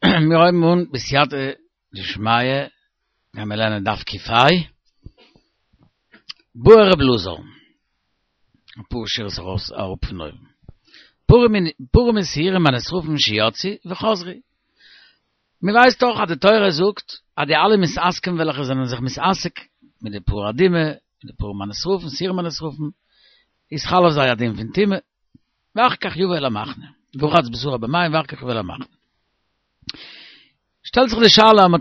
מיר הויבן אן בסייעתא דשמיא, גייען מיר לערנען דף ק"ה, בעי ר' אלעזר, אפאר שורות ארויס אראפ פון אויבן, פרים ושעירים הנשרפים שיצאו וחזרו, מען ווייסט דאך אז די תורה זאגט אז די אלע מתעסקים וועלכע זענען זיך מתעסק מיט די פרה אדומה, מיט די פרים הנשרפים, שעירים הנשרפים, איז חל אויף זיי א דין פון טומאה, ואחר כך יבא אל המחנה, ורחץ בשרו במים ואחר כך יבא אל המחנה. שטעלט זיך די שאלה, מען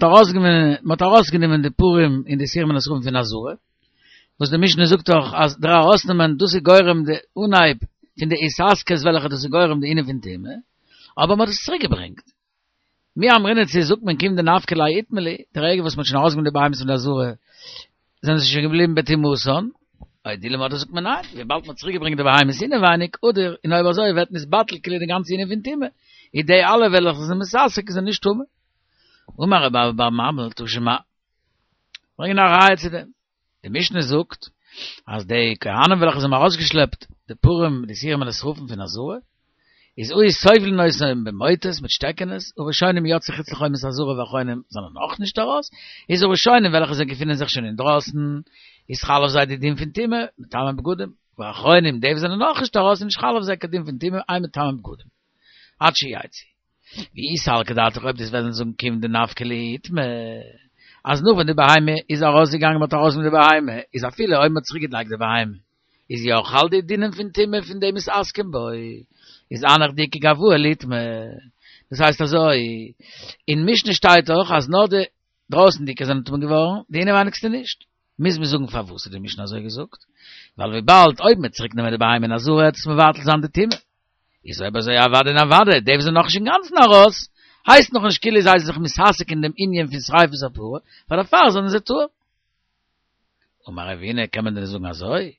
האט ארויסגענומען די פרים און די שעירים הנשרפים פון עזרה, וואס די משנה זאגט דאך אז דער ארויסנעמען דאס איז גורם די אנהייב פון די התעסקות וועלכע דאס איז גורם די ענין פון טומאה, אבער מען האט עס צוריק געברענגט. מי אמרינן צו זאגט מען כיון דנפקא להו איטמי להו, די רגע וואס מען האט שוין ארויסגענומען די בהמות פון די עזרה, זענען זיי שוין געבליבן בטומאתן, או דילמא אדער זאגט מען ניין, וויבאלד מען האט צוריק געברענגט די בהמות אינעווייניג, אדער, און אויב אזוי ווערט נתבטל כאילו די גאנצע ענין פון טומאה, איז די אלע וועלכע זענען מתעסק זענען נישט טמא. אמר רב אבא בר ממל תא שמע, ברענגען א ראיה צו דעם. די משנה זאגט אז די כהנים וועלכע זיי האבן ארויסגעשלעפט די פרים די שעירים הנשרפים פון עזרה, איז היו סובלין אותם במוטות מיט שטעקענעס, הראשונים יצאו חוץ לחומת העזרה והאחרונים זענען נאך נישט ארויס, איז הראשונים וועלכע זיי געפינען זיך שוין אינדרויסן, איז חל אויף זיי די דין פון טומאה, מטמא בגדים, והאחרונים די וואס זענען נאך נישט ארויס איז נישט חל אויף זיי קיין דין פון טומאה, אין מטמא בגדים. עד שיצאו. ואי סלקא דעתך אויב דו'סט וועלן זאגן כיון דנפקא להו איטמי, אז נאך ווען די בהמה איז ארויסגעגאנגען מ'האט ארויסגענומען די בהמה, איז אפילו אויב מ'האט צוריק געלייגט די בהמה, איז יא חל די דינים פון טומאה פון די מתעסקים בו, איז הנך דאיכא גואי ליטמא. דאס הייסט אזוי, אין משנה שטייט דאך אז נאר די דרויסנדיגע זענען טמא געווארן, די אינעווייניגסטע נישט. מוז מען זאגן פארוואס האט די משנה אזוי געזאגט? ווייל וויבאלד אויב מ'וועט צוריק נעמען די בהמה אין עזרה וועט עס מבטל זיין די טומאה. איז אויב אזוי אוודאי און אוודאי, די וואס זענען נאכנישט אינגאנצן ארויס, הייסט נאכנישט כאילו זיי זענען זיך מתעסק אין דעם ענין פון שריפת הפרה, פאר דערפאר זענען זיי טהור. אמר רבינא, קען מען דען זאגן אזוי?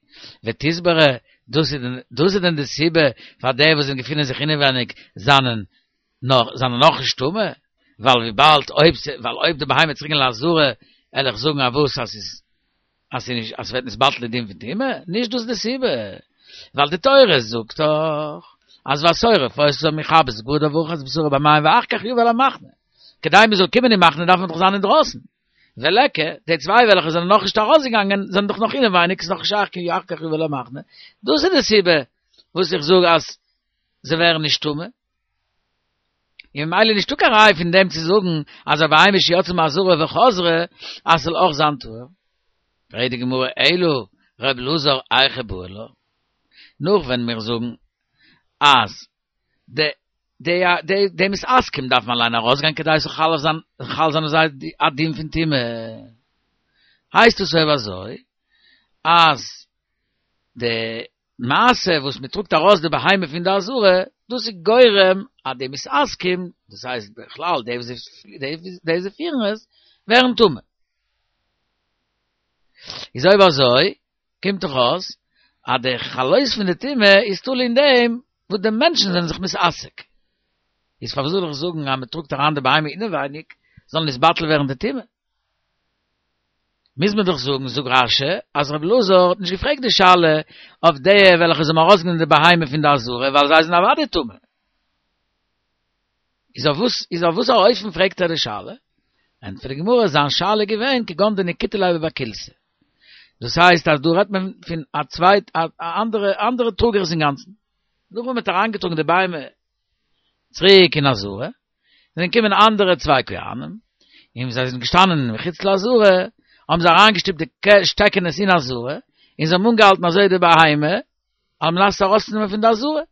ותסברא, דאס איז דאס איז דען די סיבה פאר די וואס זענען געפינען זיך אינעווייניג זענען נאך זענען נאך נישט טמא, ווייל וויבאלד אויב ווייל אויב די בהמה וועט צוריק גיין לעזרה, וועל איך זאגן אז וואס אז ס'איז אז ס'איז נישט אז ס'ווערט נתבטל די דין פון טומאה, נישט דאס די סיבה, ווייל די תורה זאגט דאך אז והשורף אותם יכבס בגדיו ורחץ בשרו במים ואחר כך יבא אל המחנה, כדי מ'זאל קומען אין מחנה דארף מען דאך זיין אינדרויסן, וליכא, די צוויי וועלכע זענען נאכנישט ארויסגעגאנגען זענען דאך נאך אינעווייניג, ס'איז נאך נישט שייך קיין ואחר כך יבא אל המחנה, דאס איז די סיבה וואס איך זאג אז זיי ווערן נישט טמא. און ממילא נישטא קיין ראי' פון דעם צו זאגן אז א בהמה שיצאה מעזרה וחזרה אז ס'זאל אויך זיין טהור. פרעגט די גמרא אלא ר' אלעזר היכי בעי לה, נאך ווען מיר זאגן אז די די די די מתעסקים דארף מען אליין ארויסגיין כדי ס'זאל חל זיין חל זיין אויף זיי א דין פון טומאה, הייסט עס אויב אזוי אז די מעשה וואס מען טראגט ארויס די בהמה פון די עזרה, דאס איז גורם אז די מתעסקים, דאס הייסט בכלל די וואס די וואס פירן עס, ווערן טמא. איז אויב אזוי, קומט דאך אויס אז די חלות פון די טומאה איז תלוי אין דעם וואס די מענטשן זענען זיך מתעסק. איז פארוואס זאל איך זאגן אז מען טראגט אריין די בהמה אינעווייניג זאל נתבטל ווערן די טומאה? מוז מען דאך זאגן, זאגט רש"י, אז רבי אלעזר האט נישט געפרעגט די שאלה אויף די וועלכע זיי האבן ארויסגענומען די בהמה פון די עזרה, ווייל זיי זענען אוודאי טמא. איז אויף וואס איז אויף וואס א אופן פרעגט ער די שאלה? ענטפערט די גמרא, זיין שאלה איז געווען כגון דנקיטו ליה בבי כילתא. דאס הייסט אז דא רעדט מען פון א צווייט א אנדערע אנדערע טראגערס אינגאנצן. נאך ווען מען האט אריינגעטראגן די בהמה צוריק אין עזרה, זענען געקומען אנדערע צוויי כהנים, און זיי זענען געשטאנען מחוץ לעזרה, האבן זיי אריינגעשטופט די שטעקענעס אין עזרה, און זיי האבן אנגעהאלטן אזוי די בהמה, על מנת עס ארויסצונעמען פון די עזרה.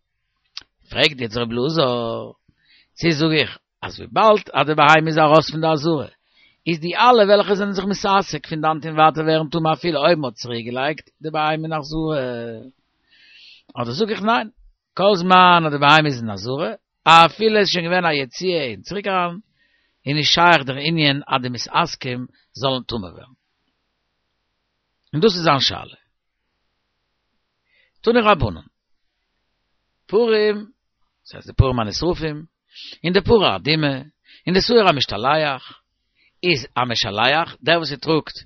פרעגט יעצט ר' אלעזר, צו זאג איך, אז וויבאלד אז די בהמה איז ארויס פון די עזרה, איז די אלע וועלכע זענען זיך מתעסק פון דאנט און ווייטער ווערן טמא אפילו אויב מ'האט צוריקגעלייגט די בהמה אין עזרה? אדער זאג איך ניין, כל זמן אז די בהמה איז אין עזרה, אפילו עס איז שוין געווען א יציאה און צוריק אריין, איז נישט שייך דער ענין אז די מתעסקים זאלן טמא ווערן. און דאס איז זיין שאלה. תנו רבנן. פרים, דאס הייסט די פרים הנשרפים, און די פרה אדומה, און די שעיר המשתלח, איז א משלח, דער וואס ער טראגט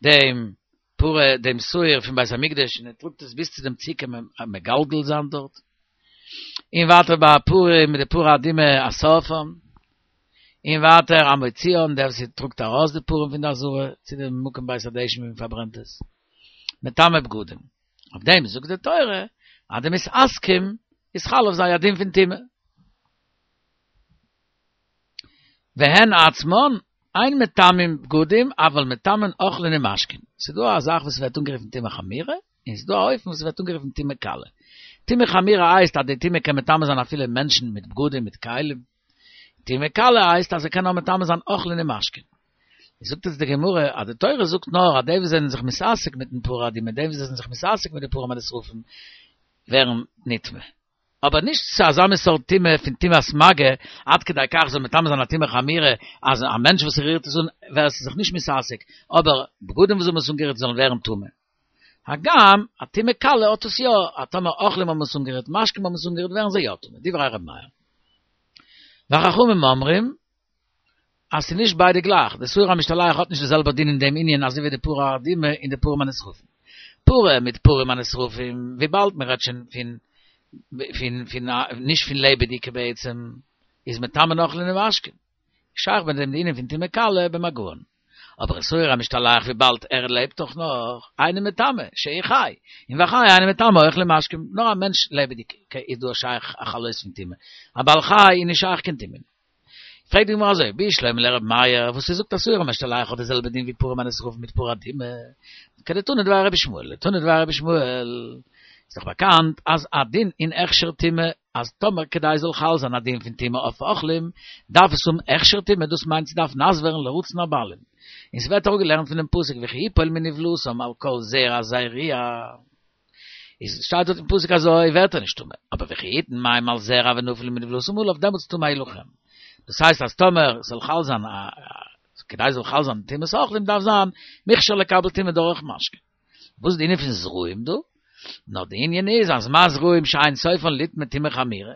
דעם פרה דעם שעיר פון בית המקדש און ער טראגט עס ביז צו דעם סוכה מגלגל זיין דארט, און ווייטער ביי פרים מיט די פרה אדומה השורפן. און ווייטער המוציאן, דער וואס טראגט ארויס די פרים פון די עזרה צו די מקום בית הדשן ווי מען פארברענט עס, מטמא בגדים. אויף דעם זאגט די תורה אז די מתעסקים איז חל אויף זיי א דין פון טומאה. והן עצמן אין מטמאים בגדים אבל מטמאין אוכלין ומשקין. ס'איז דא א זאך וואס ווערט אנגערופן טומאה חמורה, און ס'איז דא א אופן וואס ווערט אנגערופן טומאה קלה. טומאה חמורה הייסט אז די טומאה קען מטמא זיין אפילו מענטשן מיט בגדים מיט כלים. טומאה קלה הייסט אז ער קען נאר מטמא זיין אוכלין און משקין. זאגט אונז די גמרא אז די תורה זאגט נאר אז די וואס זענען זיך מתעסק מיטן פרה אדומה די וואס זענען זיך מתעסק מיט די פרים הנשרפים ווערן נטמא. אבער נישט צו אזא מין סארט טומאה פון טומאת מגע, עד כדי כך זאל מטמא זיין א טומאה חמורה, אז א מענטש וואס רירט עס אן ווער עס איז זיך נישט מתעסק, אבער בגדים וואס האבן עס אנגערירט זאלן ווערן טמא. הגם, א טומאה קלה האט עס יא, אז טאמער אוכלים האבן עס אנגערירט, משקים האבן עס אנגערירט ווערן זיי יא טמא, דברי ר' מאיר. וחכמים אומרים, אז ס'איז נישט ביידע גלייך, די שעיר המשתלח האט נישט די זעלבע דין אין דעם ענין אזוי ווי די פרה אדומה און די פרים הנשרפים. פרה מיט פרים הנשרפים, וויבאלד מען רעדט שוין פון פון פון נישט פון לעבעדיגע בעצם, איז מטמאין אוכלין ומשקין. שייך ביי דעם די ענין פון טומאה קלה במגען. אבער שעיר המשתלח וויבאלד ער לעבט דאך נאך, אינו מטמא, שהוא חי, און והחי אינו מטמא אוכלים ומשקים, נאר א מענטש לעבעדיג איז דא שייך א חלות פון טומאה, א בעל חי איז נישט שייך קיין טומאה. פרעגט די גמרא אזוי, בשלמא לר' מאיר, וואס ער זאגט אז שעיר המשתלח האט די זעלבע דין ווי פרים הנשרפים מיט פרה אדומה, כדתנא דבי רבי ישמעאל, דתנא דבי רבי ישמעאל, איז דאך באקאנט אז א דין אין הכשר טומאה, אז טאמער כדי זאל חל זיין א דין פון טומאה אויף אוכלים, דארף עס האבן הכשר טומאה, דאס מיינט ס'דארף נאס ווערן לרצון הבעלים. און ס'ווערט אראפגעלערנט פונעם פסוק וכי יפול מנבלתם על כל זרע זריע. איז שטייט דארט אין פסוק אזוי ווערט ער נישט טמא, אבער וכי יתן מים על זרע ונפל מנבלתם עליו דעמאלטס טמא הוא לכם. דאס הייסט אז טאמער ס'זאל חל זיין א כדי ס'זאל חל זיין טומאת אוכלים דארף זיין מוכשר לקבל טומאה דורך משקה. וואס איז די ענין פון זרעים דא? נאר די ענין איז אז מה זרעים שאין סופן ליטמא טומאה חמורה,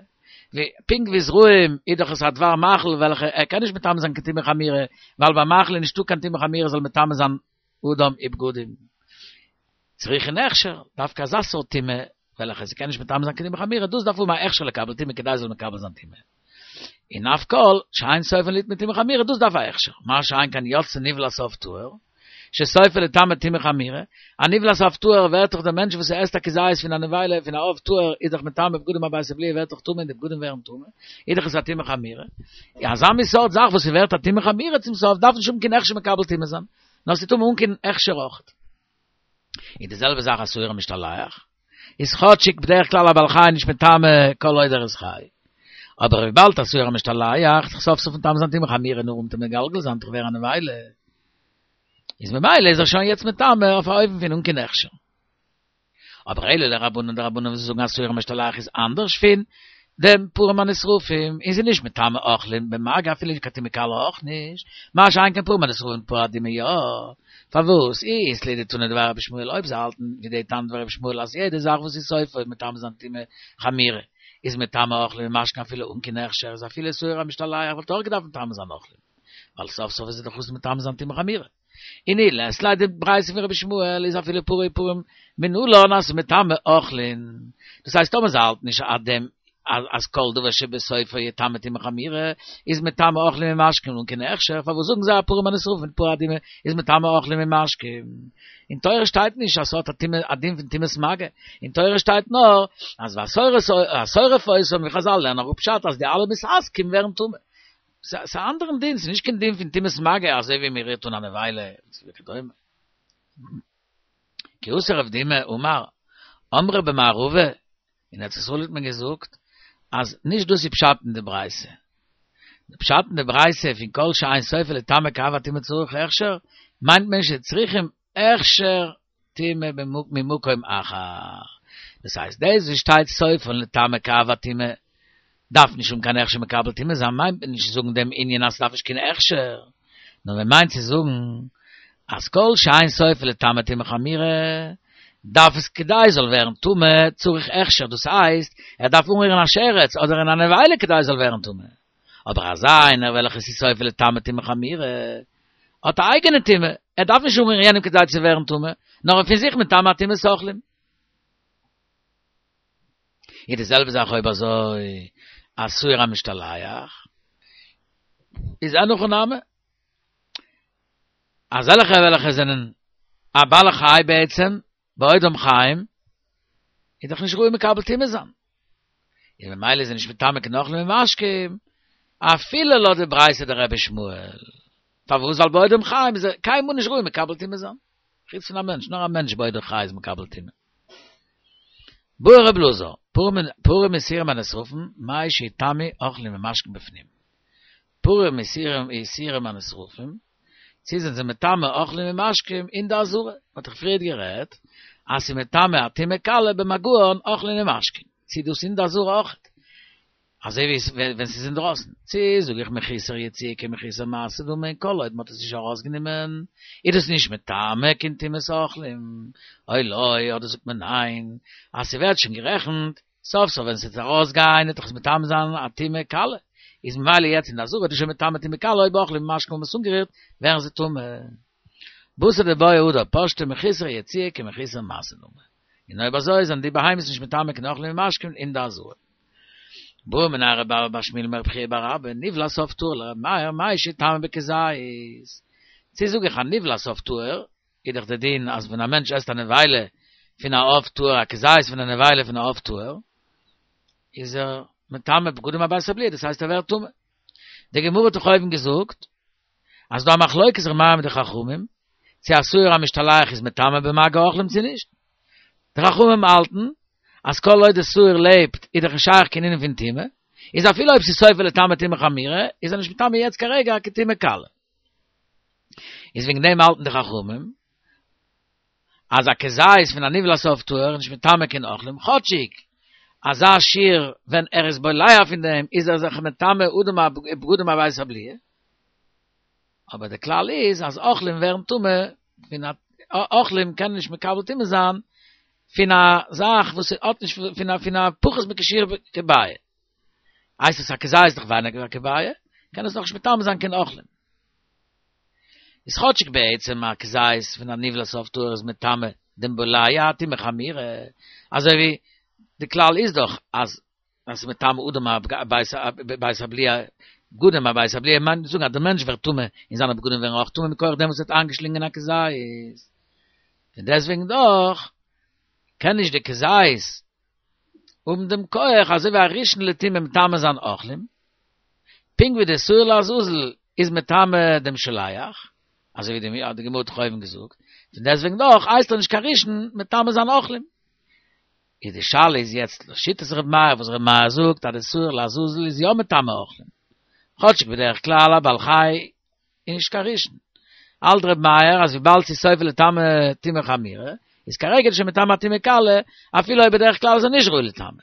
ווי פונקט ווי זרעים איז דאך עס א דבר מאכל וועלכע ער קען נישט מטמא זיין קיין טומאה חמורה, ווייל ביי מאכל איז נישטא קיין טומאה חמורה זאל מטמא זיין אדם ובגדים. צריכין הכשר, דווקא אזא סארט טומאה וועלכע ס'קען נישט מטמא זיין קיין טומאה חמורה, דאס דארף האבן א הכשר לקבל טומאה כדי ס'זאל מקבל זיין טומאה. און אף כל שאין סופן ליטמא טומאה חמורה, דאס דארף א הכשר. מה שאין כן יצתה נבלת עוף טהור, שסופה לטמא טומאה חמורה, א נבלת עוף טהור ווערט דאך דער מענטש וואס עסט א כזית פון א נבילה פון א עוף טהור איז דאך מטמא בגדים הבית הבליעה ווערט דאך טמא און די בגדים ווערן טמא, איז דאך עס א טומאה חמורה. אזא מין סארט זאך וואס ס'ווערט א טומאה חמורה צום סוף דארף נישט האבן קיין הכשר מקבל טומאה זיין. נאר ס'איז טמא אן קיין הכשר אויך. און די זעלבע זאך א שעיר המשתלח, איז כאטשיג בדרך כלל א בעל חי נישט מטמא כל עוד ער איז חי, אבער וויבאלד א שעיר המשתלח איז סוף סוף מטמא זיין טומאה חמורה נאר אום מגלגל זיין דורך ווערן א נבילה, איז ממילא איז ער שוין יעצט מטמא אויף א אופן פון אן קיין הכשר. אבער אלא לרבנן די רבנן וואס זאגן אז שעיר המשתלח איז אנדערש פון דעם פרים הנשרפים און ס'איז נישט מטמא אוכלים במגע אפילו נישט קיין טומאה קלה אויך נישט, מה שאין כן פרים הנשרפים פרה אדומה יא, פארוואס אי אית להו דתנא דבי רבי ישמעאל אויב זיי האלטן ווי די תנא דבי רבי ישמעאל אז יעדע זאך וואס איז סופו מטמא זיין טומאה חמורה איז מטמא אוכלים ומשקין אפילו אן קיין הכשר איז אפילו שעיר המשתלח וואלט אויך געדארפט מטמא זיין אוכלים ווייל סוף סוף איז ער דאך אסור מטמא זיין טומאה חמורה. און אי לית להו די ברייתא פון רבי ישמעאל איז אפילו פרה ופרים מנלן אז מטמא אוכלין, דאס הייסט טאמער זיי האלטן נישט אט דעם אז כל דבר שבסופו יטמא טומאה חמורה איז מטמא אוכלים ומשקין אן קיין הכשר, פארוואס זאגן זיי אז פרים הנשרפים מיט פרה אדומה איז מטמא אוכלים ומשקין? אין תורה שטייט נישט אז ס'האט א טומאה א דין פון טומאת מגע, אין תורה שטייט נאר אז והשורף אותם ווי חזל לערנען אראפ פשט אז די אלע מתעסקים ווערן טמא. ס'איז א אנדערן דין, ס'איז נישט קיין דין פון טומאת מגע אזוי ווי מ'רירט אן א נבילה וכדומה. כי אתא רב דימי אמר, אמרי במערבא, אין ארץ ישראל האט מען געזאגט אז נישט דאס איז פשט אין די ברייתא. די פשט אין די ברייתא פון כל שאין סופו לטמא כאב הטומאה צריך הכשר, מיינט מען שצריכים הכשר טומאה ממקום אחר. דאס הייסט דאס וואס שטייט סופן לטמא כאב הטומאה דארף נישט האבן קיין הכשר מקבל טומאה זיין מיינט מען נישט צו זאגן דעם ענין אז ס'דארף נישט קיין הכשר, נאר מען מיינט צו זאגן אז כל שאין סופו לטמא טומאה חמורה דארף עס כדי זאל ווערן טמא צריך הכשר דאס הייסט ער דארף אנרירן א שרץ אדער אין א נבילה כדי זאל ווערן טמא. אבער אזא איינער וועלכע ס'איז סופו לטמא טומאה חמורה, האט א אייגענע טומאה, ער דארף נישט אנרירן יענעם כדי צו ווערן טמא, נאר ער פון זיך מטמא טומאת אוכלים. איז די זעלבע זאך אויב אזוי א שעיר המשתלח. איז אין הכי נמי. אזעלכע וועלכע זענען א בעל חי בעצם, בעודם חיים, איז דאך נישט ראוי מקבל טומאה זיין. און ממילא איז ער נישט מטמא קיין אוכלים ומשקים, אפילו לויט די ברייתא דרבי ישמעאל. פארוואס? ווייל בעודם חיים איז ער קיינמאל נישט ראוי מקבל טומאה זיין. חוץ פון א מענטש, נאר א מענטש בעודו חי איז מקבל טומאה. בעי רב אלעזר, פרים ושעירים הנשרפים, מהו שיטמאו אוכלים ומשקים בפנים. פרים ושעירים הנשרפים, צי זענען זיי מטמא אוכלים ומשקים אין די עזרה, מ'האט דאך פריערט גערעדט אז ס'איז מטמא א טומאה קלה במגען אוכלים ומשקים, צי דאס אין די עזרה אויכעט, אזוי ווי ווען ס'איז אינדרויסן, צי זאג איך מחוסר יציאה כמחוסר מעשה דמי און כל עוד מ'האט עס נישט ארויסגענומען איז דאס נישט מטמא קיין טומאת אוכלים, או לא, אדער זאגט מען ניין אז ס'ווערט שוין גערעכנט סוף סוף ווען ס'וועט ארויסגיין וועט דאך עס מטמא זיין א טומאה קלה, איז ממילא יעצט אין די עזרה וועט עס שוין מטמא טומאה קלה אויב אוכלים ומשקים האבן עס אנגערירט ווערן זיי טמא. בתר דבעיא הדר פשטה מחוסר יציאה כמחוסר מעשה דמי. און אויב אזוי זענען די בהמות נישט מטמא קיין אוכלים ומשקים אין די עזרה. בעא מיניה רב אבא בר שמואל מרב חייא בר אבא נבלת עוף טהור לר' מאיר מהו שיטמא בכזית. צו זאג איך א נבלת עוף טהור איז דאך די דין אז ווען א מענטש עסט א נבילה פון א עוף טהור א כזית פון א נבילה פון א עוף טהור איז ער מטמא בגדים הבית הבליעה דאס הייסט ער ווערט טמא. די גמרא האט דאך אויבן געזאגט אז ס'דא א מחלוקת ר' מאיר מיט די חכמים צו א שעיר המשתלח איז מטמא במגע אוכלים צו נישט. די חכמים האלטן אז כל עוד די שעיר לעבט איז דאך נישט שייך קיין ענין פון טומאה, איז אפילו אויב ס'איז סופו לטמא טומאה חמורה איז ער נישט מטמא יעצט כרגע קיין טומאה קלה. איז וועגן דעם האלטן די חכמים אז א כזית פון א נבלת עוף טהור איז נישט מטמא קיין אוכלים, כאטשיג אזא שיעור ווען ער איז בולע פון דעם איז ער זיך מטמא אדם בגדים הבית הבליעה, אבער די כלל איז אז אוכלים ווערן טמא פון א אוכלים קענען נישט מקבל טומאה זיין פון א זאך וואס האט נישט פון א פון א פחות מכשיעור כביעה. הייסט עס א כזית איז דאך ווייניגער ווי א כביעה, קען עס נאכנישט מטמא זיין קיין אוכלים. איז כאטשיג בעצם א כזית פון א נבלת עוף טהור איז מטמא דעם בולע א טומאה חמורה, אזוי ווי די כלל איז דאך אז אז ס'איז מטמא אדם בית הבליעה, בגדים הבית הבליעה מיינט צו זאגן אז דער מענטש ווערט טמא און זיינע בגדים ווערן אויך טמא מכח דעם וואס ער האט איינגעשלינגען א כזית. פון דעסטוועגן דאך קען נישט די כזית האבן דעם כח אזוי ווי א ראשון לטומאה מטמא זיין אוכלים, פונקט ווי די שעיר לעזאזל איז מטמא דעם שולח, אזוי ווי די גמרא האט דאך אויבן געזאגט, פון דעסטוועגן דאך הייסט ער נישט קיין ראשון מטמא זיין אוכלים. איז די שאלה איז יעצט לשיטת ר' מאיר וואס ר' מאיר זאגט אז די שעיר לעזאזל איז יא מטמא אוכלים, כאטשיג בדרך כלל א בעל חי איז נישט קיין ראשון. האלט ר' מאיר אז וויבאלד ס'איז סופו לטמא טומאה חמורה, איז כרגע שוין מטמא טומאה קלה, אפילו אויב בדרך כלל איז ער נישט ראוי לטמא.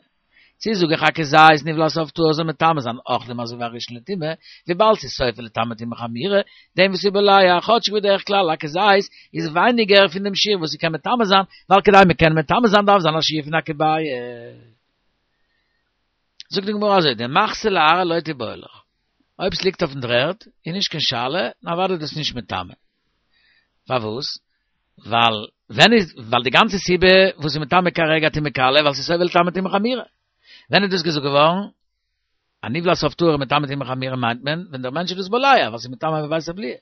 צי זאג איך א כזית נבלת עוף טהור זאל מטמא זיין אוכלים אזוי ווי א ראשון לטומאה, וויבאלד ס'איז סופו לטמא טומאה חמורה, דעם וואס איז בולע, כאטשיג בדרך כלל א כזית איז ווייניגער פון דעם שיעור וואס ס'קען מטמא זיין, ווייל כדי מ'קען מטמא זיין דארף זיין א שיעור פון א כביעה. זאגט די גמרא אזוי, דמחתא לארעא לא תיבעי לך. אויב ס'ליגט אויפן דר'ערד איז נישט קיין שאלה, און אוודאי איז דאס נישט מטמא. פארוואס? ווייל ווען איז, ווייל די גאנצע סיבה וואס איז מטמא כרגע טומאה קלה, ווייל ס'איז סופו לטמא טומאה חמורה. ווען איז דאס געזאגט געווארן? א נבלת עוף טהור מטמא טומאה חמורה מיינט מען ווען דער מענטש איז דאס בולע, ווייל ס'איז מטמא בבית הבליעה.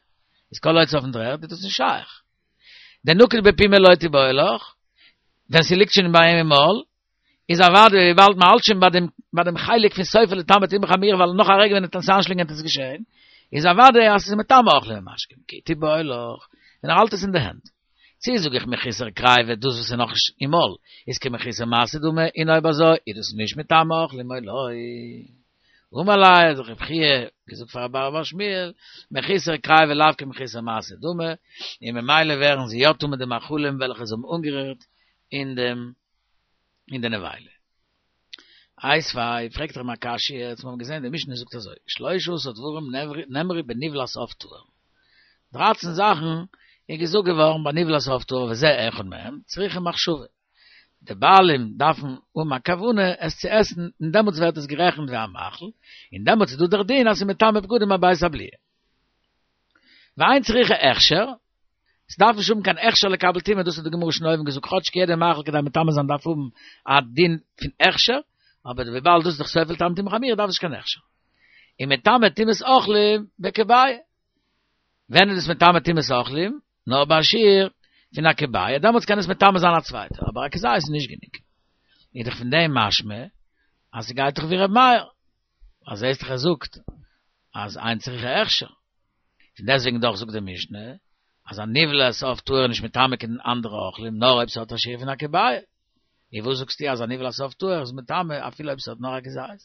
איז כל עוד ס'איז אויפן דר'ערד איז דאס נישט שייך. דנקיט בפומיה לא תיבעי לך, ווען ס'ליגט שוין ביי אים אין מויל, איז אוודאי וויבאלד מען האלט שוין ביי דעם ביי דעם חלק פון סופו לטמא טומאה חמורה ווייל נאך א רגע ווען ער וועט עס איינשלינגען וועט עס געשען, איז אוודאי אז עס איז מטמא אוכלים ומשקים, כי תיבעי לך, ווען ער האלט עס אין די הענט. צי זאג איך מחוסר קריבה דאס וואס איז נאכנישט אין מויל איז כמחוסר מעשה דמי און אויב אזוי איז דאס נישט מטמא אוכלים או לא. אמר ליה האט רב חייא געזאגט פאר רב אבא בר שמואל מחוסר קריבה לאו כמחוסר מעשה דמי און ממילא ווערן זיי יא טמא די מאכלים וועלכע זיי האבן אנגערירט אין דעם אין די נבילה. איתיביה, פרעגט ער אים א קשיא, יעצט מיר האבן געזען די משנה זאגט אזוי, שלשה עשר דברים נאמרו בנבלת עוף טהור, דרייצן זאכן איז געזאגט געווארן ביי נבלת עוף טהור וזה אחד מהם, צריכה מחשבה, די בעלים דארפן האבן א כוונה עס צו עסן און דעמאלטס ווערט עס גערעכנט ווי א מאכל, און דעמאלטס איז דא דער דין אז ס'איז מטמא בגדים הבית הבליעה. ואין צריכה הכשר, ס'דארף נישט האבן קיין הכשר לקבל טומאה, דאס האט די גמרא שוין אויבן געזאגט, כאטשיג יעדע מאכל כדי מטמא זיין דארף האבן א דין פון הכשר, אבער וויבאלד דאס איז דאך סופו לטמא טומאה חמורה דארף נישט קיין הכשר. און מטמא טומאת אוכלים בכביעה. ווען איז עס מטמא טומאת אוכלים? נאר ביי א שיעור פון א כביעה, דעמאלטס קען עס מטמא זיין א צווייטער, אבער א כזית איז נישט גענוג. איז דאך פון דעם משמע אז ס'גייט דאך ווי ר' מאיר, אז זעהסט דאך ער זאגט אז אין צריכה הכשר. פון דעסטוועגן דאך זאגט די משנה אז א נבלת עוף טהור איז נישט מטמא קיין אנדערע אוכלים נאר אויב ס'האט א שיעור פון א כביעה. און וואס זאגסטו אז א נבלת עוף טהור איז מטמא אפילו אויב ס'האט נאר א כזית?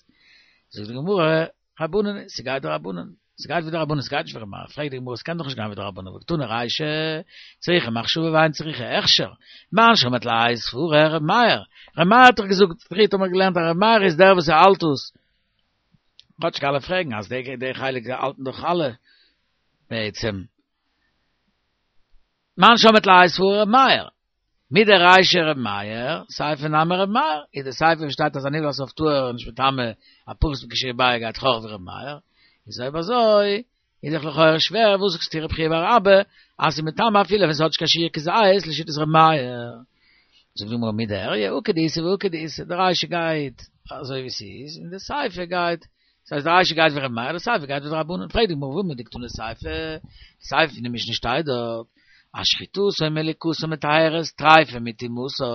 זאגט די גמרא, רבנן, ס'גייט די רבנן, ס'גייט ווי די רבנן, ס'גייט נישט ווי ר' מאיר, פרעגט די גמרא, ס'קען דאך נישט גיין ווי די רבנן, והקתני רישא, צריכה מחשבה ואין צריכה הכשר, מאן שמעת ליה סברא ר' מאיר, ר' מאיר האט דאך געזאגט, פריערט האט מען געלערנט אז ר' מאיר איז דער וואס ער האלט עס, כאטשיג אלע פרעגן אז די חלק האלטן דאך אלע בעצם. מאן שמעת ליה סברא ר' מאיר, מדרישא ר' מאיר, סיפא נמי ר' מאיר, איז די סיפא וואס שטייט אז א נבלת עוף טהור איז נישט מטמא א פחות מכשיעור כביעה גייט דאך אויך ווי ר' מאיר, איז אויב אזוי איז דאך לכאורה שווער וואס זאגסטו רב חייא בר אבא אז ס'איז מטמא אפילו ווען ס'האט נישט קיין שיעור כזית לשיטת ר' מאיר. זאגט די גמרא מידי איריא הא כדאיתא והא כדאיתא, די רישא גייט אזוי ווי ס'איז און די סיפא גייט דאס הייסט די רישא גייט ווי ר' מאיר, די סיפא גייט ווי די רבנן, פרעגט די גמרא והא מדקתני סיפא, די סיפא פון די משנה שטייט דארט, אז שחיטתו ומליקתו מטהרת טריפה מטומאתה,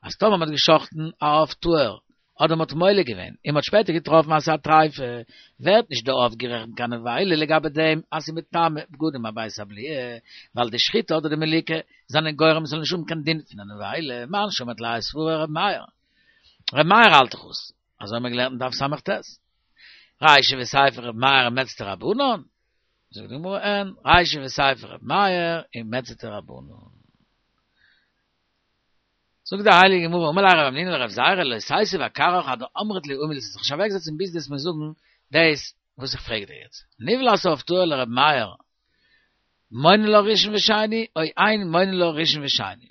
אז טאמער מ'האט געשחט'ן א עוף טהור, אדער מ'האט מולק געווען, און מ'האט שפעטער געטראפן אז ס'איז א טריפה, ווערט נישט די עוף גערעכנט קיין נבילה לגבי דעם אז ס'איז מטמא בגדים הבית הבליעה, ווייל די שחיטה אדער די מליקה זענען גורם ס'זאל נישט האבן קיין דין פון א נבילה, מאן שמעת ליה סברא ר' מאיר. ר' מאיר האלט דאך עס. אזוי האבן מיר געלערנט אין דף ס"ט. רישא וסיפא ר' מאיר ומעצתיה רבנן, זאגט די גמרא אין, רישא וסיפא ר' מאיר ומעצתיה רבנן. זאגט די הייליגע גמרא, אמר ליה רב המנונא לרב זירא לא תיתיב אכרעך עד דאמרת לי הא מילתא, זיך נישט אוועקזעצן ביז דו וועסט מיר זאגן דאס וואס איך פרעג דיר יעצט. נבלת עוף טהור לר' מאיר מונין לה ראשון ושני או אין מונין לה ראשון ושני.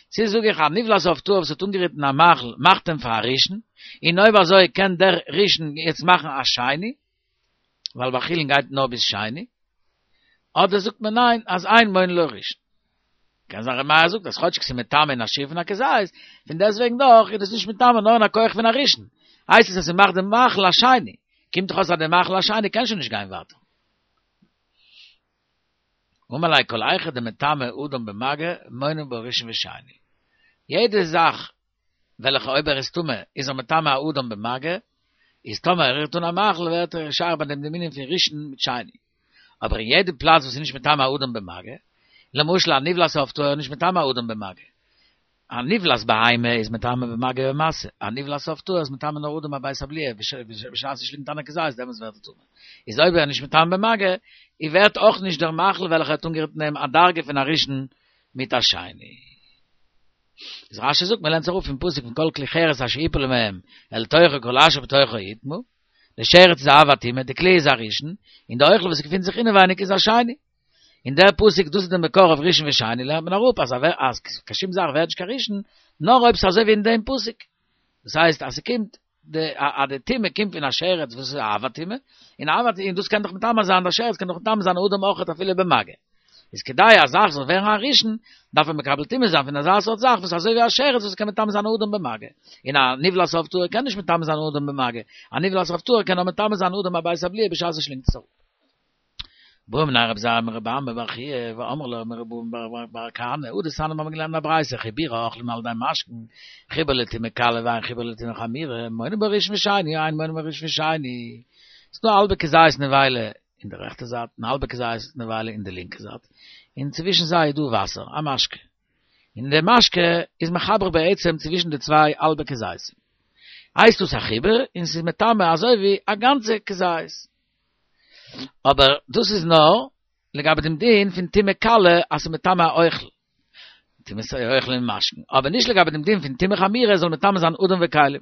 צו זאג איך א נבלת עוף טהור וואס האט אנגערירט אין א מאכל מאכט אים פאר א ראשון, און אויב אזוי קען דער ראשון יעצט מאכן א שני, ווייל ביי חולין גייט נאר ביז שני, אדער זאגט מען ניין אז אין מונין לה ראשון. קען זיין ר' מאיר זאגט אז כאטשיג ס'איז מטמא אין א שיעור פון א כזית, פון דעסטוועגן דאך איז דאס נישט מטמא נאר אין א כח פון א ראשון, הייסט עס אז ס'מאכט די מאכל א שני, קומט דאך אויס אז די מאכל א שני קען שוין נישט גיין ווייטער. אמר ליה כל היכא דמטמא אדם במגע מונין בו ראשון ושני. יעדע זאך וועלכע אויב ער איז טמא איז ער מטמא א אדם במגע, איז טאמער ער רירט אן א מאכל ווערט ער שייך ביי דעם דעם ענין פון ראשון מיט שני. אבער אין יעדע פלאץ וואס איז נישט מטמא א אדם במגע, למשל א נבלת עוף טהור איז נישט מטמא א אדם במגע, א נבלת בהמה איז מטמא במגע ובמשא, א נבלת עוף טהור איז מטמא נאר אדם הבית הבליעה בשעת ס'שלינגט איין א כזית דעמאלטס ווערט ער טמא. איז אויב ער איז נישט מטמא במגע, איז ווערט אויך נישט דער מאכל וועלכער האט אנגערירט אין אים א דרגה פון א ראשון מיט א שני. איז רש"י זאגט מ'לערנט זיך אפ פון פסוק פון כל כלי חרס אשר יפול מהם אל תוכו כל אשר בתוכו יטמא, די שרץ איז א אב הטומאה, די כלי איז א ראשון, און די אוכל וואס געפינט זיך אינעווייניג איז א שני. און דער פסוק דאס איז דער מקור אויף ראשון ושני לערנט מען אראפ אז אז קיין שום זאך ווערט נישט קיין ראשון נאר אויב ס'איז אזוי ווי אין דעם פסוק דאס הייסט אז ס'קומט די אז די טומאה קומט פון א שרץ וואס איז א אב הטומאה און אב הטומאה און דאס קען דאך מטמא זיין דער שרץ קען דאך מטמא זיין אדם אויכעט אפילו במגע איז כדי א זאך זאל ווערן א ראשון דארף מען מקבל טומאה זיין פון אזא סארט זאך וואס אזוי ווי א שרץ וואס קען מטמא זיין אדם במגע און א נבלת עוף טהור קען נישט מטמא זיין אדם במגע א נבלת עוף טהור קען נאר מטמא זיין אדם הבית הבליעה בשעת ער שלינגט עס אראפ. בעו מיניה רב זירא מרבי אמי בר חייא ואמרי לה מרב אבהו בר כהנא הא דתניא מיר האבן געלערנט א ברייתא חיבורי אוכלים על ידי משקין חיבור לטומאה קלה ואין חיבור לטומאה חמורה מונין בו ראשון ושני או אין מונין בו ראשון ושני ס'איז דא א האלבע כזית נבילה אין די רעכטע זייט און א האלבע כזית נבילה אין די לינקע זייט און צווישן זיי איז דא וואסער א משקה און די משקה איז מחבר בעצם צווישן די צוויי האלבע כזיתים הייסט דאס א חיבור און ס'איז מטמא אזוי ווי א גאנצע כזית. אבער דאס איז נאר לגבי דעם דין פון טומאה קלה אז ס'איז מטמא א אוכל, טומאת אוכל און משקין, אבער נישט לגבי דעם דין פון טומאה חמורה זאל מטמא זיין אדם וכלים.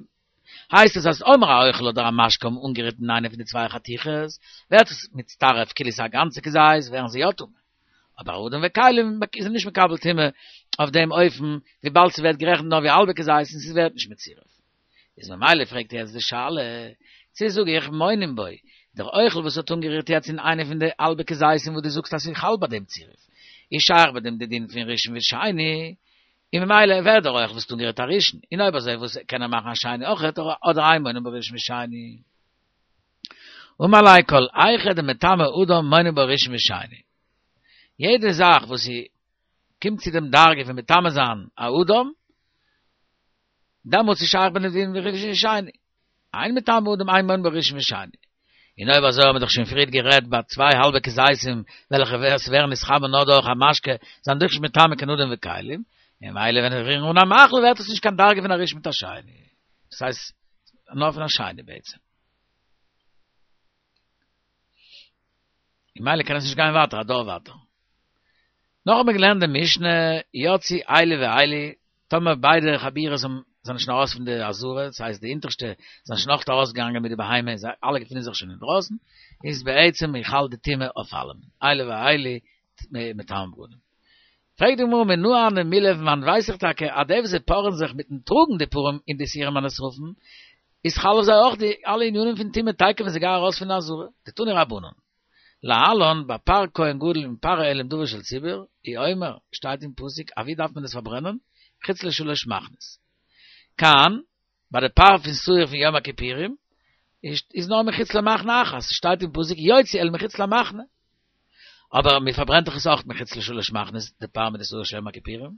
הייסט עס אז אויב א אוכל אדער א משקה האבן אנגערירט אין איינע פון די צוויי חתיכות, ווערט עס מצטרף כאילו ס'איז א גאנצע כזית, ווערן זיי יא טמא. אבער אדם וכלים איז נישט מקבל טומאה אויף דעם אופן, וויבאלד ס'ווערט גערעכנט נאר ווי א האלבע כזית און ס'ווערט נישט מצורף. איז ממילא פרעגט ער יעצט די שאלה, צו זאג איך מונין בו, דער אוכל וואס האט אנגערירט יעצט אין איינע פון די האלבע כזיתים וואס דו זאגסט אז ס'איז חל ביי דעם צירוף, איז שייך ביי דעם די דין פון ראשון ושני, און ממילא ווערט דער אוכל וואס האט אנגערירט א ראשון, און אויב אזוי וואס קען ער מאכן א שני אויכעט, אדער אין מונין בו ראשון ושני. אמר ליה כל היכא דמטמא אדם מונין בו ראשון ושני. יעדע זאך וואס זי קומט צו דעם דרגה פון מטמא זיין א אדם, דעמאלטס איז שייך ביי דעם דין פון ראשון ושני. אין מטמא אדם אין מונין בו ראשון ושני. און אויב אזוי האבן מיר דאך שוין פריערט גערעדט ביי צוויי האלבע כזיתים וועלכע ווערן נתחמם נאר דורך א משקה זענען דאך נישט מטמא קיין אדם וכלים, און ממילא ווען זיי רירן אן א מאכל ווערט עס נישט קיין דרגה פון א ראשון מיט א שני. דאס הייסט נאר פון א שני בעצם. און ממילא קען עס נישט גיין ווייטער א דור ווייטער. נאך האבן מיר געלערנט די משנה יצאו אלו ואלו, טאמער ביידע חבורות האבן זענען שוין ארויס פון די עזרה, דאס הייסט די אונטערשטע זענען שוין אויך ארויסגעגאנגען מיט די בהמה, זיי אלע געפינען זיך שוין אינדרויסן, איז בעצם חל די טומאה אויף אלעמען, אלו ואלו מטמאין בגדים. פרעגט די גמרא מנא הני מילי פון וואנעט ווייס איך טאקע אז די וואס זיי פארען זיך מיטן טראגן די פרים און די שעירים הנשרפים, איז חל אויף זיי אויך די אלע ענינים פון טומאה תיכף ווען זיי גייען ארויס פון די עזרה, דתנו רבנן. להלן, ביי פר כהן גדול און פר העלם דבר של ציבור, הוא אומר, שטייט אין פסוק, א ווי דארף מען עס פארברענען? חוץ לשלש מחנות. כאן, ביי די פר פון שעיר פון יום הכיפורים, איז נאר מחוץ למחנה אחת, שטייט אין פסוק יוציא אל מחוץ למחנה. אבער מען פארברענט דאך עס אויך מחוץ לשלש מחנות, די פר מיט די שעיר של יום הכיפורים.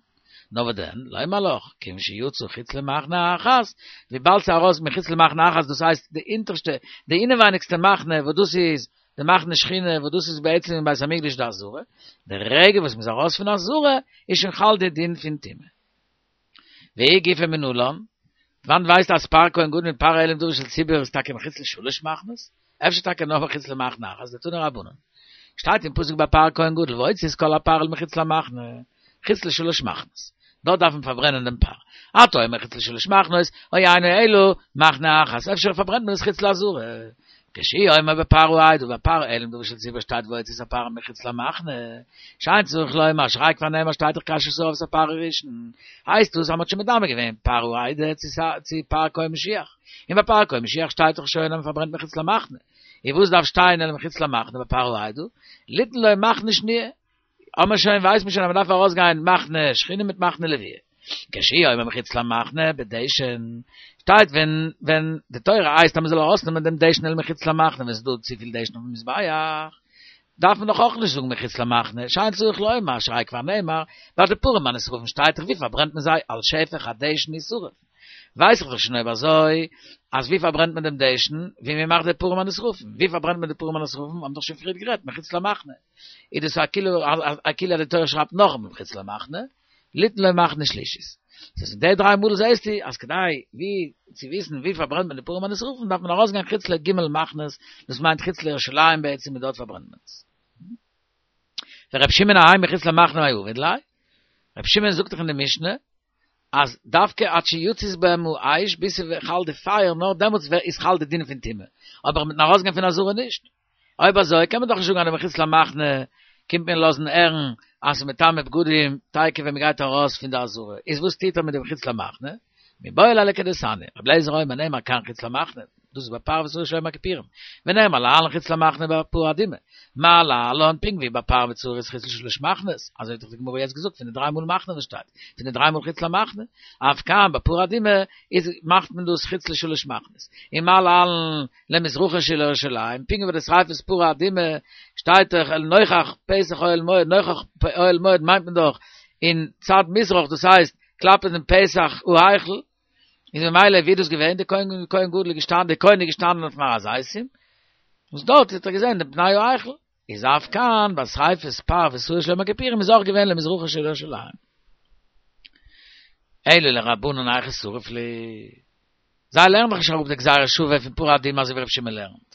נאר וואס דען, לומר לך, כיוון שיצא חוץ למחנה אחת, וויבאלד ס'איז ארויס מחוץ למחנה אחת, דאס הייסט די אונטערשטע, די אינעווייניגסטע מחנה, וואס דאס איז די מחנה שכינה, וואס דאס איז בעצם אין בית המקדש די עזרה, די רגע וואס מ'איז ארויס פון עזרה, איז שוין חל די דין פון טומאה. והיא גופא מנלן, וואנעט ווייסטו אז פר כהן גדול מיט פר העלם דבר של ציבור איז טאקע מחוץ לשלש מחנות? אפשר טאקע נאר מחוץ למחנה אחת, דתנו רבנן. שטייט אין פסוק ביי פר כהן גדול והוציא את כל הפר אל מחוץ למחנה, חוץ לשלש מחנות. דארט דארף מען פארברענען דעם פר. אתה אומר חוץ לשלש מחנות, או אינו אלא מחנה אחת, אפשר פארברענט מען עס חוץ לעזרה. כשהוא אומר בפר העדה ביי פר העלם דבר של ציבור שטייט והוציא את הפר מחוץ למחנה, שאין צריך לומר שהרי כבר נאמר שטייט דאך כאשר שרף את הפר הראשון, הייסט דאס אז מ'האט שוין מדמה געווען פר העדה צו פר כהן משיח, און ביי פר כהן משיח שטייט דאך שוין אז מ'פארברענט מחוץ למחנה, און וואס דארף שטיין אלא מחוץ למחנה ביי פר העדה, ליתן לו מחנה שניה, האט מען שוין ווייסט מען שוין אז מ'דארף ארויסגיין מחנה שכינה מיט מחנה לוויה. כשהוא אומר מחוץ למחנה בדשן, שטייט ווען ווען די תורה הייסט אז מ'זאל ארויסנעמען דעם דשן אל מחוץ למחנה ווען ס'איז דא צופיל דשן אויפן מזבח, דארף מען דאך אויך נישט זאגן מחוץ למחנה, שאין צריך לומר, שהרי כבר נאמר, ביי די פרים הנשרפים שטייט דאך ווי פארברענט מען זיי על שפך הדשן ישרף. ווייס איך דאך שוין אויב אזוי אז ווי פארברענט מען דעם דשן, ווי מען מאכט די פרים הנשרפים, ווי פארברענט מען די פרים הנשרפים האבן דאך שוין פריערט גערעדט מחוץ למחנה. איז דאס א כאילו א כאילו אז די תורה שרייבט נאכאמאל מחוץ למחנה, ליתן לו מחנה שלישית. דאס איז די דריי מאל זעהסטו אז כדי ווי צו וויסן ווי פארברענט מען די פרים הנשרפים דארף מען ארויסגיין חוץ לג' מחנות, דאס מיינט חוץ לירושלים בעצם און דארט פארברענט מען עס. ור' שמעון אהאי מחוץ למחנה מאי עביד ליה? ר' שמעון זאגט דאך אין די משנה אז דווקא עד שיצית בהם האש ביז ס'חל די פייער נאר דעמאלטס איז חל די דין פון טומאה, אבער מיטן ארויסגיין פון עזרה נישט. אויב אזוי קען מען דאך נישט זאגן אז די מחוץ למחנה קומט מען לאזן הערן אז ס'איז מטמא בגדים תיכף ווען מ'גייט ארויס פון די עזרה, איז וואס טוט ער מיט די מחוץ למחנה? מיבעי ליה לכדתניא, רבי אליעזר אומר נאמר כאן חוץ למחנה, דאס איז ביי פר ושעיר של יום הכיפורים, ונאמר להלן חוץ למחנה ביי פרה אדומה, מה להלן פונקט ווי ביי פר ושעיר איז חוץ לשלש מחנות, אזוי האט דאך די גמרא יעצט געזאגט פון די דריי מאל מחנה וואס שטייט, פון די דריי מאל חוץ למחנה, אף כאן ביי פרה אדומה איז מאכט מען דאס חוץ לשלש מחנות, און מה להלן למזרחה של ירושלים, פונקט ווי ביי די שריפת פרה אדומה שטייט דאך אל נוכח פתח אוהל מועד, נוכח אוהל מועד מיינט מען דאך אין צד מזרח דאס הייסט כלפי דעם פתח ההיכל, איז ממילא ווי איז דאס געווען, די כהן כהן גדול איז געשטאנען, די כהן איז געשטאנען אויפן הר הזיתים, וואס דארט האט ער געזען דעם פני ההיכל, איז אף כאן ביי שריפת פר ושעיר של יום הכיפורים איז אויך געווען למזרחה של ירושלים. אלא לרבנן היכי שריף להו. זיי לערנען דאך נישט אראפ די גזירה שוה פון פרה אדומה אזוי ווי רבי שמעון לערנט.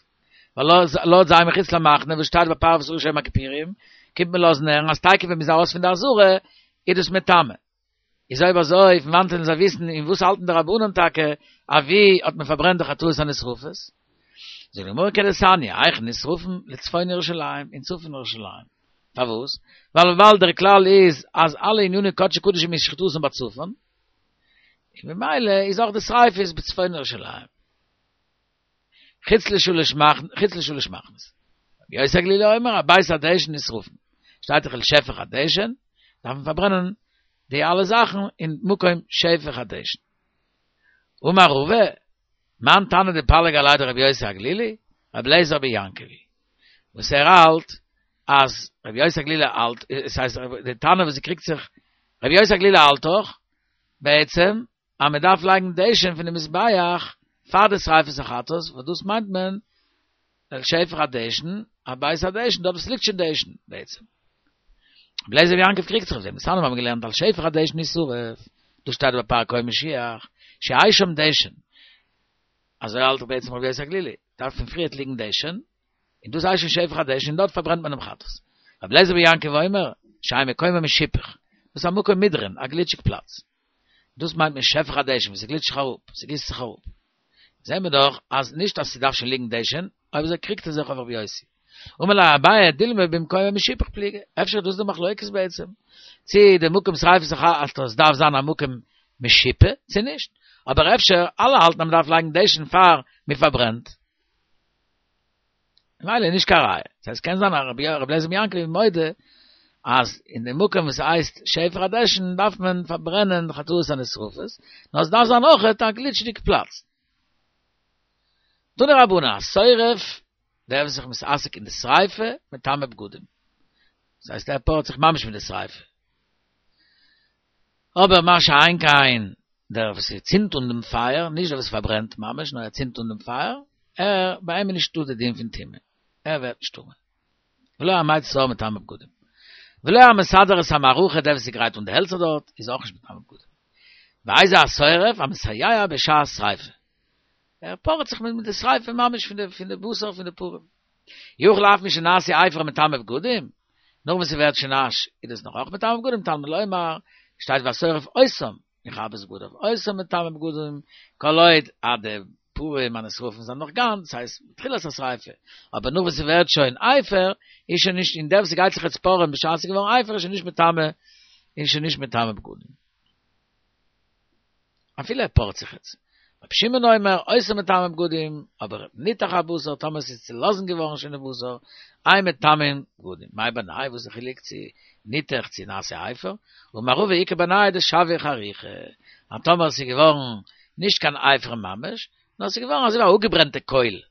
ווייל לויט זיי מחוץ למחנה וואס שטייט ביי פר ושעיר של יום הכיפורים, קומט מען לאזן הערן אז תיכף ווען מ'איז ארויס פון די עזרה איז דאס מטמא. איז אויב אזוי פון וואנעט וועלן זיי וויסן און וואס האלטן די רבנן טאקע אוואו האט מען פארברענט די חטאות הנשרפות? זאגט די גמרא כדתניא, היכן נשרפין לצפון ירושלים, אין צפון ירושלים. פארוואס? ווייל וויבאלד דער כלל איז אז אלע עניני קדשי קדשים איז שחיטתן בצפון, און ממילא איז אויך די שריפה איז בצפון ירושלים. חוץ לשלש מחנות, חוץ לשלש מחנות. רבי יוסי הגלילי אומר, אל בית הדשן נשרפין. שטייט דאך אל שפך הדשן, דארף מען פארברענען די אלע זאכן אין מקום שפך הדשן. אמר רבא, מאן תנא דפליג עליה דרבי יוסי הגלילי? רבי אליעזר בן יעקב היא, וואס ער האלט אז רבי יוסי הגלילי האלט, עס הייסט די תנא וואס קריגט זיך, רבי יוסי הגלילי האלט דאך בעצם אז מען דארף לייגן דשן פון די מזבח פאר די שריפת החטאת, וואס דאס מיינט מען אל שפך הדשן, אל בית הדשן, דארט וואס ליגט שוין דשן בעצם. רבי אליעזר בן יעקב קריגט זיך אויף דעם, דתניא מיר האבן געלערנט על שפך הדשן ישרף, דאס שטייט ביי פר כהן משיח, שיהא שם דשן, אזוי האלט דאך בעצם רבי יוסי הגלילי, דארף פון פריערט ליגן דשן, און דאס הייסט שוין שפך הדשן און דארט פארברענט מען דעם חטאת. רבי אליעזר בן יעקב אומר, שיהא מקומו משופך, דאס איז א מקום מדרון, א גליטשיג פלאץ. דאס מיינט מען שפך הדשן, וואס ס'גליטשט זיך אראפ, ס'גיסט זיך אראפ. זעהן מיר דאך אז נישט אז ס'דארף שוין ליגן דשן, אויב אזוי קריגט ער זיך אויף רבי יוסי. אמר ליה אביי דילמא במקומו משופך פליגי, אפשר איז דאס די מחלוקת בעצם, צי די מקום שריפת החטאת דארף זיין א מקום משופה צי נישט, אבער אפשר אלע האלטן אז מ'דארף לייגן דשן פאר מ'פארברענט. ממילא איז נישט קיין ראיה. דאס הייסט קען זיין אז רבי אליעזר בן יעקב איז מודה אז אין די מקום וואס הייסט שפך הדשן דארף מען פארברענען חטאות הנשרפות, נאר עס דארף זיין אויכעט א גליטשדיג פלאץ. תנו רבנן, השורף, דער וואס איז זיך מתעסק אין די שריפה, מטמא בגדים. דאס הייסט ער פארעט זיך ממש מיט די שריפה. אבער מה שאין כן דער וואס צינדט אן דעם פייער, נישט דער וואס פארברענט ממש, נאר ער צינדט אן דעם פייער, ער, ביי אים איז נישטא די דין פון טומאה, ער ווערט נישט טמא. ולא המוציא את האור מטמא בגדים. ולא המסדר את המערכה, דער וואס גרייט אן די העלצער דארט, איז אויך נישט מטמא בגדים. ואיזהו השורף המסייע בשעת שריפה. ער פארעט זיך מיט די שריפה ממש פון די פון די בשר פון די פרים. יכול אף משנעשו אפר מטמא בגדים, נאך וואס ס'ווערט שוין אש איז דאס נאך אויך מטמא בגדים, תלמוד לומר, שטייט והשורף אותם, יכבס בגדיו, אותם מטמא בגדים, כל עוד אז די פרים הנשרפים זענען נאך גאנץ, ס'הייסט תחילת השריפה, אבער נאך וואס ס'ווערט שוין אפר, איז שוין נישט, און דער וואס גייט זיך יעצט פארען בשעת ס'איז געווארן אפר איז שוין נישט מטמא, איז שוין נישט מטמא בגדים. אפילו ער פארט זיך יעצט. רבי שמעון אומר, אותם מטמא בגדים, אבער ניתך הבשר, טאמער ס'איז צולאזן געווארן שוין די בשר, אין מטמאין בגדים. מאי בינייהו, וואס איז די חילוק צו ניתך צו נעשה אפר? אמר רבא איכא בינייהו דשויה חריכה. אז טאמער ס'איז געווארן נישט קיין אפר ממש, נאר ס'איז געווארן אזוי ווי א אפגעברענטע קויל,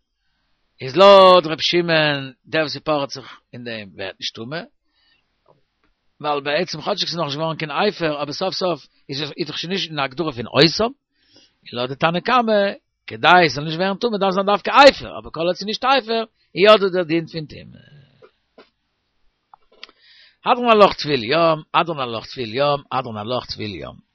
איז לויט ר' שמעון דער וואס ס'פארעט זיך אין דעם ווערט נישט טמא, ווייל בעצם כאטשיג ס'איז נאכנישט געווארן קיין אפר, אבער סוף סוף איז עס איז דאך שוין נישט אין די הגדרה פון אותם, און לויט די תנא קמא, כדי עס זאל נישט ווערן טמא דארף זיין דווקא אפר, אבער כל עוד ס'איז נישט אפר, איז יא דא דער דין פון טומאה. הדרן עלך טבול יום, הדרן עלך טבול יום, הדרן עלך טבול יום.